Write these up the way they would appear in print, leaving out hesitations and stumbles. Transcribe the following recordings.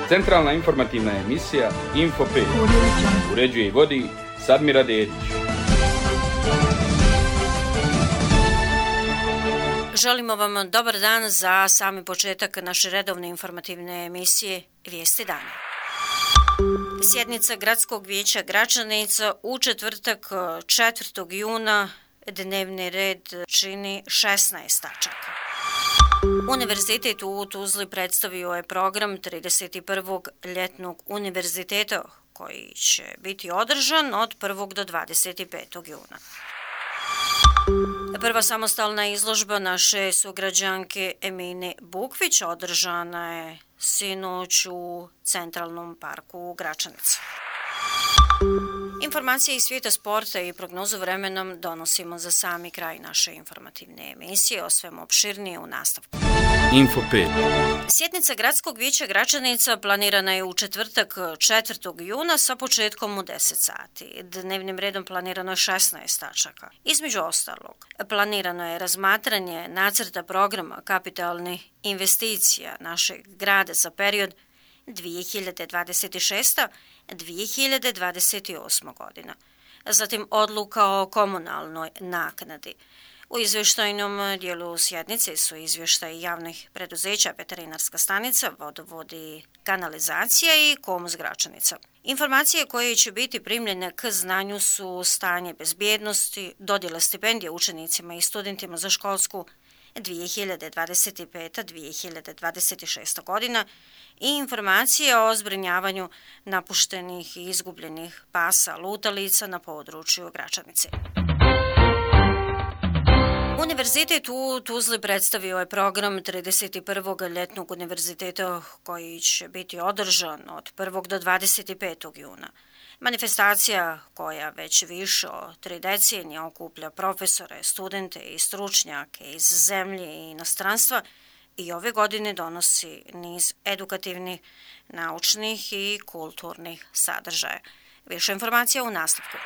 Centralna informativna emisija Info 5. Uređuje i vodi Sadmira Dedić. Želimo vam dobar dan za sami početak naše redovne informativne emisije Vijesti dana. Sjednica Gradskog vijeća Gračanica u četvrtak 4. juna dnevni red čini 16 tačaka. Univerzitet u Tuzli predstavio je program 31. ljetnog univerziteta koji će biti održan od 1. do 25. juna. Prva samostalna izložba naše sugrađanke Emine Bukvić održana je sinoć u Centralnom parku u Gračanici. Informacije iz svijeta sporta i prognozu vremenom donosimo za sami kraj naše informativne emisije, o svemu opširnije u nastavku. Info 5. Sjednica Gradskog vijeća Gračanica planirana je u četvrtak 4. juna sa početkom u 10 sati. Dnevnim redom planirano je 16 tačaka. Između ostalog, planirano je razmatranje nacrta programa kapitalnih investicija našeg grada za period 2026-2028 godina. Zatim odluka o komunalnoj naknadi. U izvještajnom dijelu sjednice su izvještaj javnih preduzeća Veterinarska stanica, vodovod i kanalizacija i Komus Gračanica. Informacije koje će biti primljene k znanju su stanje bezbjednosti, dodjela stipendije učenicima i studentima za školsku 2025-2026 godina i informacije o zbrinjavanju napuštenih i izgubljenih pasa lutalica na području Gračanice. Univerzitet u Tuzli predstavio je program 31. ljetnog univerziteta koji će biti održan od 1. do 25. juna. Manifestacija koja već više od 3 decenije okuplja profesore, studente i stručnjake iz zemlje i inostranstva i ove godine donosi niz edukativnih, naučnih i kulturnih sadržaja. Više informacija u nastavku.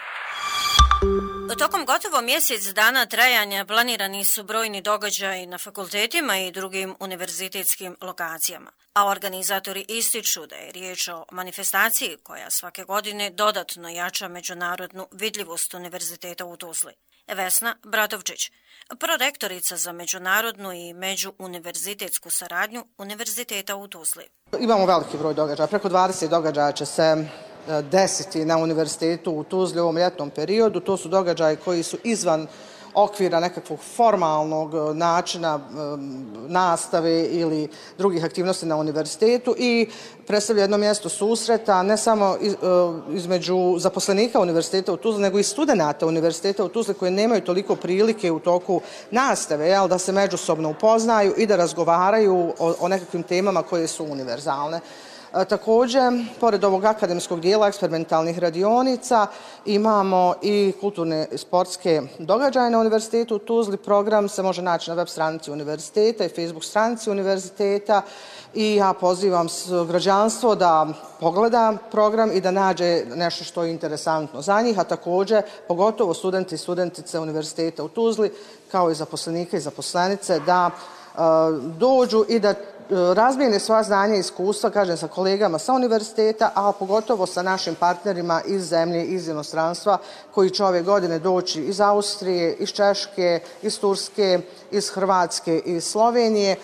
Tokom gotovo mjesec dana trajanja planirani su brojni događaji na fakultetima i drugim univerzitetskim lokacijama, a organizatori ističu da je riječ o manifestaciji koja svake godine dodatno jača međunarodnu vidljivost Univerziteta u Tuzli. Vesna Bratovčić, prorektorica za međunarodnu i međuuniverzitetsku saradnju Univerziteta u Tuzli. Imamo veliki broj događaja, preko 20 događaja će se desiti na univerzitetu u Tuzli u ovom ljetnom periodu. To su događaji koji su izvan okvira nekakvog formalnog načina nastave ili drugih aktivnosti na univerzitetu i predstavlja jedno mjesto susreta ne samo između zaposlenika univerziteta u Tuzli, nego i studenata univerziteta u Tuzli koji nemaju toliko prilike u toku nastave da se međusobno upoznaju i da razgovaraju o nekakvim temama koje su univerzalne. Također, pored ovog akademskog dijela eksperimentalnih radionica, imamo i kulturne i sportske događaje na Univerzitetu u Tuzli. Program se može naći na web stranici univerziteta i Facebook stranici univerziteta i ja pozivam građanstvo da pogleda program i da nađe nešto što je interesantno za njih, a također pogotovo studenti i studentice Univerziteta u Tuzli kao i zaposlenike i zaposlenice da dođu i da razmijene svoja znanja i iskustva, kažem, sa kolegama sa univerziteta, a pogotovo sa našim partnerima iz zemlje, iz inostranstva, koji će ove godine doći iz Austrije, iz Češke, iz Turske, iz Hrvatske i iz Slovenije.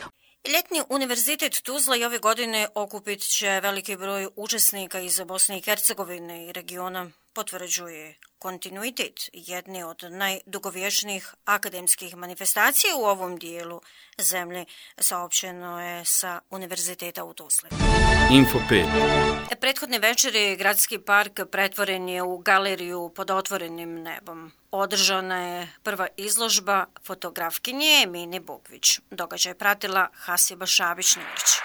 Ljetni univerzitet Tuzla i ove godine okupit će veliki broj učesnika iz Bosne i Hercegovine i regiona, potvrđuje kontinuitet jedne od najdugovječnijih akademskih manifestacija u ovom dijelu zemlje, saopćeno je sa Univerziteta u Tuzli. Info 5. Prethodne večeri Gradski park pretvoren je u galeriju pod otvorenim nebom. Održana je prva izložba fotografkinje Emine Bukvić. Događaj pratila Hasiba Šabić-Nurić.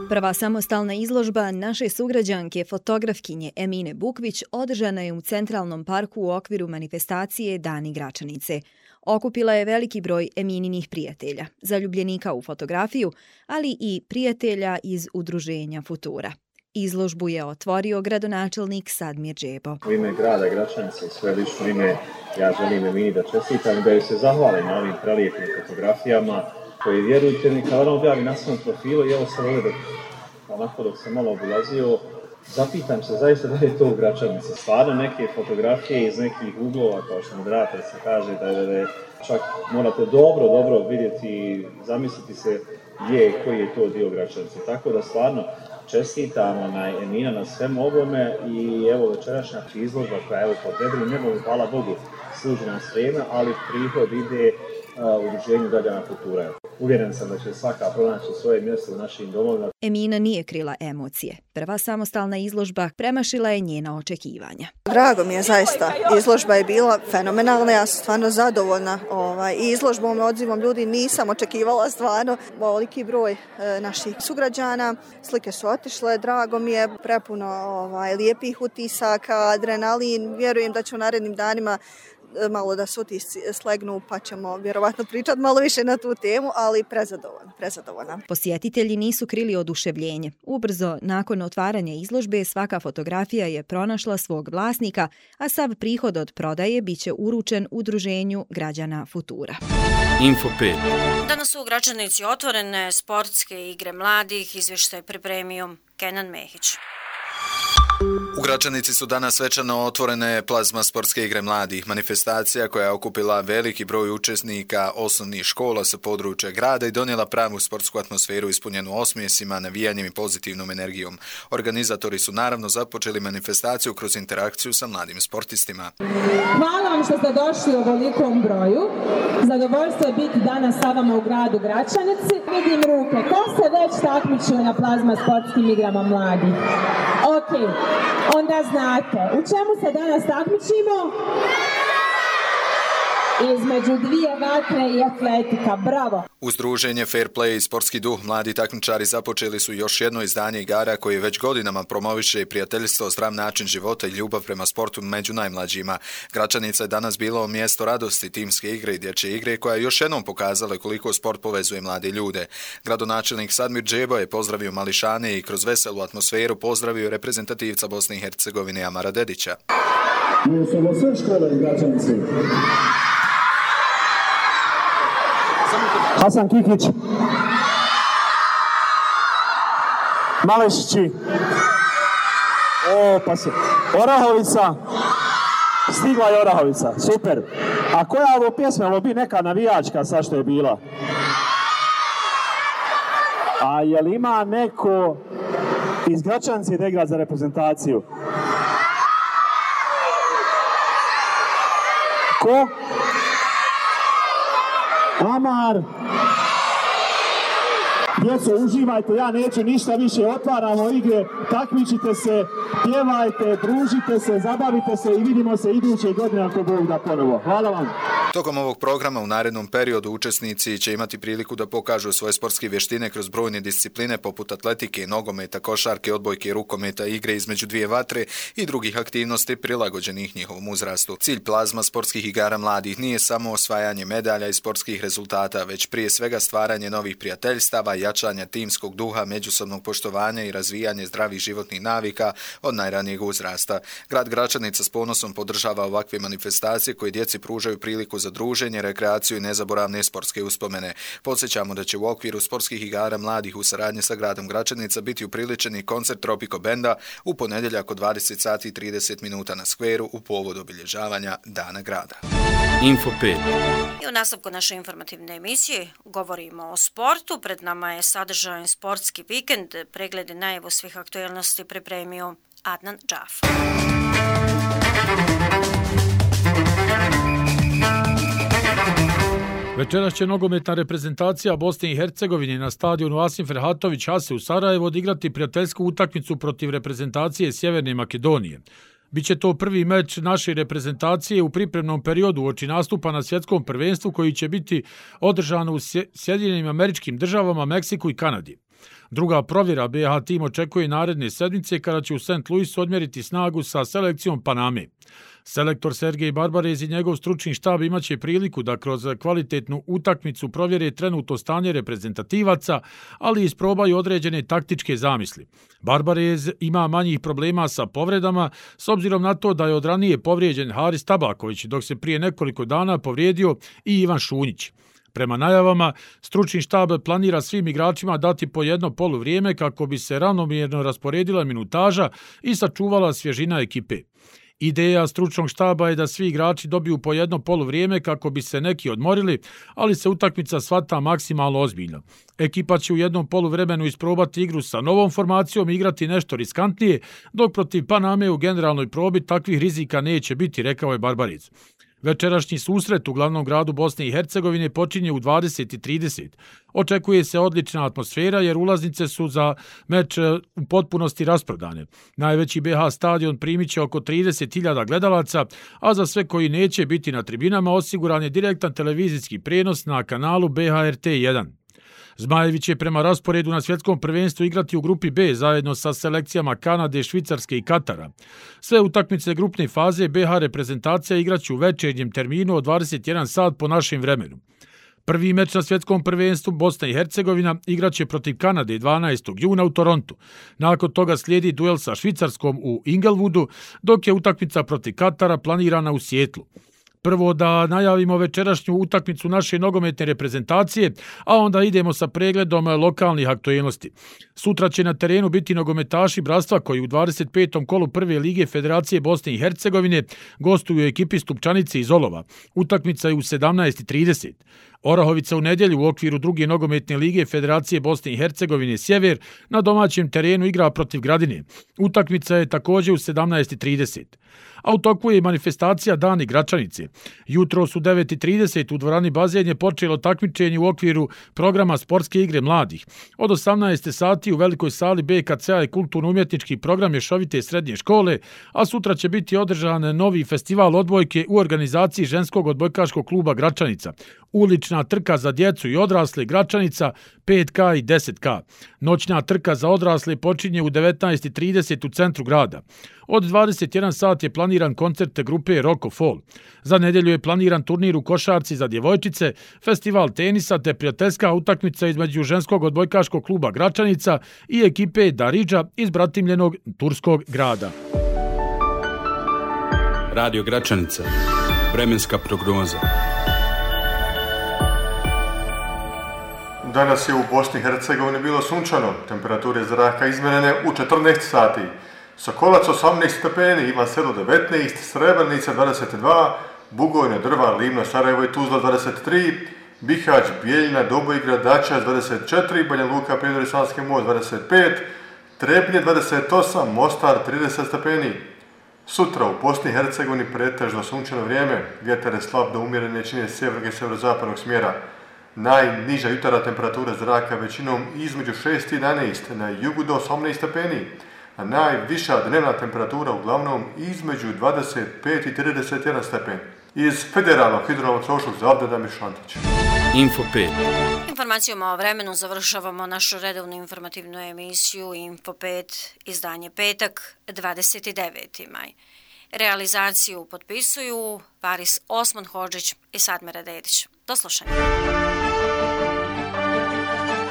Prva samostalna izložba naše sugrađanke fotografkinje Emine Bukvić održana je u Centralnom parku u okviru manifestacije Dani Gračanice. Okupila je veliki broj Emininih prijatelja, zaljubljenika u fotografiju, ali i prijatelja iz udruženja Futura. Izložbu je otvorio gradonačelnik Sadmir Džebo. U ime grada Gračanice i sve lično ime ja želim Emini da čestitam i da joj se zahvalim na ovim prelijepim fotografijama koji, vjerujte mi, kada ona objavi na svom profilu i evo sam ovdje onako dok sam malo obilazio, zapitam se zaista da je to u Gračanici. Stvarno neke fotografije iz nekih uglova, kao što moderator se kaže, da čak morate dobro vidjeti i zamisliti se koji je to dio Gračanice. Tako da stvarno čestitam Emina na svem ovome i evo večerašnja izložba koja je pod vedrim nebom, hvala Bogu, služi nam svema, ali prihod ide Udruženju građana kulture. Uvjeren sam da će svaka pronaći svoje mjesto u našim domovima. Emina nije krila emocije. Prva samostalna izložba premašila je njena očekivanja. Drago mi je zaista. Izložba je bila fenomenalna, ja sam stvarno zadovoljna izložbom, odzivom ljudi. Nisam očekivala stvarno ovoliki broj naših sugrađana. Slike su otišle, drago mi je, prepuno lijepih utisaka, adrenalin. Vjerujem da ću u narednim danima malo da se utisci slegnu, pa ćemo vjerovatno pričati malo više na tu temu, ali prezadovoljna. Posjetitelji nisu krili oduševljenje. Ubrzo, nakon otvaranja izložbe, svaka fotografija je pronašla svog vlasnika, a sav prihod od prodaje biće uručen Udruženju građana Futura. Info 5. Danas su u Gračanici otvorene sportske igre mladih, izvještaj pripremio Kenan Mehić. U Gračanici su danas svečano otvorene plazma sportske igre mladih, manifestacija koja je okupila veliki broj učesnika osnovnih škola sa područja grada i donijela pravu sportsku atmosferu ispunjenu osmijesima, navijanjem i pozitivnom energijom. Organizatori su naravno započeli manifestaciju kroz interakciju sa mladim sportistima. Hvala vam što ste došli u ovolikom broju. Zadovoljstvo je biti danas sa vama u gradu Gračanici. Vidim ruke. Ko se već takmičio na plazma sportskim igrama mladih? Ok, onda znate, u čemu se danas takmičimo? Između dvije vatre i atletika. Bravo! Uz druženje, fair play i sportski duh, mladi takmičari započeli su još jedno izdanje igara koje već godinama promoviše prijateljstvo, zdrav način života i ljubav prema sportu među najmlađima. Gračanica je danas bilo mjesto radosti, timske igre i dječje igre koja je još jednom pokazala koliko sport povezuje mlade ljude. Gradonačelnik Sadmir Džebo je pozdravio mališane i kroz veselu atmosferu pozdravio reprezentativca Bosne i Hercegovine Amara Dedića. Mi smo sve škole u Gračanici. Hasan Kikić, Malešići, Orahovica, stigla je Orahovica, super. A koja ovo pjesma, ovo bi neka navijačka sad što je bila? A je li ima neko iz Gračanice da igra za reprezentaciju? Ko? Amar, djeco, uživajte, ja neću ništa više, otvaramo igre, takmičite se, pjevajte, družite se, zabavite se i vidimo se iduće godine ako Bog da ponovo. Hvala vam. Tokom ovog programa u narednom periodu učesnici će imati priliku da pokažu svoje sportske vještine kroz brojne discipline poput atletike, nogometa, košarke, odbojke, rukometa, igre između dvije vatre i drugih aktivnosti prilagođenih njihovom uzrastu. Cilj plazma sportskih igara mladih nije samo osvajanje medalja i sportskih rezultata, već prije svega stvaranje novih prijateljstava, jačanja timskog duha, međusobnog poštovanja i razvijanje zdravih životnih navika od najranijeg uzrasta. Grad Gračanica s ponosom podržava ovakve manifestacije koje djeci pružaju priliku za druženje, rekreaciju i nezaboravne sportske uspomene. Podsjećamo da će u okviru sportskih igara mladih u saradnji sa gradom Gračanica biti upriličeni koncert Tropico Benda u ponedjeljak od 20 sati i 30 minuta na skveru u povodu obilježavanja Dana grada. Info 5. I u nastavku naše informativne emisije govorimo o sportu. Pred nama je sadržajan sportski vikend. Preglede najavu svih aktualnosti pripremio Adnan Džaf. Večeras će nogometna reprezentacija Bosne i Hercegovine na stadionu Asim Ferhatović Hase u Sarajevu odigrati prijateljsku utakmicu protiv reprezentacije Sjeverne Makedonije. Biće to prvi meč naše reprezentacije u pripremnom periodu uoči nastupa na svjetskom prvenstvu koji će biti održano u Sjedinjenim Američkim Državama, Meksiku i Kanadi. Druga provjera BiH tim očekuje naredne sedmice kada će u St. Louisu odmjeriti snagu sa selekcijom Paname. Selektor Sergej Barbarez i njegov stručni štab imaće priliku da kroz kvalitetnu utakmicu provjere trenutno stanje reprezentativaca, ali isprobaju određene taktičke zamisli. Barbarez ima manjih problema sa povredama, s obzirom na to da je od ranije povrijeđen Haris Tabaković, dok se prije nekoliko dana povrijedio i Ivan Šunjić. Prema najavama, stručni štab planira svim igračima dati po jedno poluvrijeme kako bi se ravnomjerno rasporedila minutaža i sačuvala svježina ekipe. Ideja stručnog štaba je da svi igrači dobiju po jedno poluvrijeme kako bi se neki odmorili, ali se utakmica shvata maksimalno ozbiljno. Ekipa će u jednom poluvremenu isprobati igru sa novom formacijom i igrati nešto riskantnije, dok protiv Paname u generalnoj probi takvih rizika neće biti, rekao je Barbaric. Večerašnji susret u glavnom gradu Bosne i Hercegovine počinje u 20:30. Očekuje se odlična atmosfera jer ulaznice su za meč u potpunosti rasprodane. Najveći BH stadion primit će oko 30.000 gledalaca, a za sve koji neće biti na tribinama osiguran je direktan televizijski prenos na kanalu BHRT1. Zmajevi će prema rasporedu na svjetskom prvenstvu igrati u grupi B zajedno sa selekcijama Kanade, Švicarske i Katara. Sve utakmice grupne faze BH reprezentacija igraće u večernjem terminu od 21 sat po našem vremenu. Prvi meč na svjetskom prvenstvu Bosna i Hercegovina igraće protiv Kanade 12. juna u Torontu. Nakon toga slijedi duel sa Švicarskom u Inglewoodu, dok je utakmica protiv Katara planirana u Sijetlu. Prvo da najavimo večerašnju utakmicu naše nogometne reprezentacije, a onda idemo sa pregledom lokalnih aktualnosti. Sutra će na terenu biti nogometaši Bratstva koji u 25. kolu prve lige Federacije Bosne i Hercegovine gostuju ekipi Stupčanice iz Olova. Utakmica je u 17:30. Orahovica u nedjelju u okviru druge nogometne lige Federacije Bosne i Hercegovine Sjever na domaćem terenu igra protiv Gradine. Utakmica je također u 17:30. A u toku je manifestacija Dani Gračanice. Jutro su 9:30 u dvorani Bazen je počelo takmičenje u okviru programa sportske igre mladih. Od 18 sati u velikoj sali BKC-a je kulturno-umjetnički program Mješovite srednje škole, a sutra će biti održan novi festival odbojke u organizaciji ženskog odbojkaškog kluba Gračanica. Ulična trka za djecu i odrasle Gračanica 5K i 10K. Noćna trka za odrasle počinje u 19:30 u centru grada. Od 21 sat je planiran koncert grupe Rocco Fall. Za nedjelju je planiran turnir u košarci za djevojčice, festival tenisa te prijateljska utakmica između ženskog odbojkaškog kluba Gračanica i ekipe Daridža iz bratimljenog turskog grada. Radio Gračanica. Vremenska prognoza. Danas je u Bosni i Hercegovini bilo sunčano, temperature zraka izmjerene u 14 sati. Sokolac 18 stepeni, Ivan Selo 19, Srebrenica 22, Bugojno, Drvar, Livno, Sarajevo i Tuzla 23, Bihać, Bijeljina, Doboj, Gradača 24, Banja Luka, Prijedor i Savski most 25, Trebinje 28, Mostar 30 stepeni. Sutra u Bosni i Hercegovini pretežno sunčano vrijeme, vjetar je slab do umjeren jačine sjevernog i sjeverozapadnog smjera. Najniža jutarnja temperatura zraka većinom između 6 i 11, na jugu do 18 stepeni, a najviša dnevna temperatura uglavnom između 25 i 31 stepen. Iz Federalnog hidrometeorološkog zavoda Damir Šantić. Info 5. Informacijom o vremenu završavamo našu redovnu informativnu emisiju Info 5, izdanje petak, 29. maj. Realizaciju potpisuju Varis Osman-Hodžić i Sadmira Dedić. Do slušanja.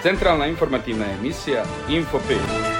Centralna informativna emisija Info 5.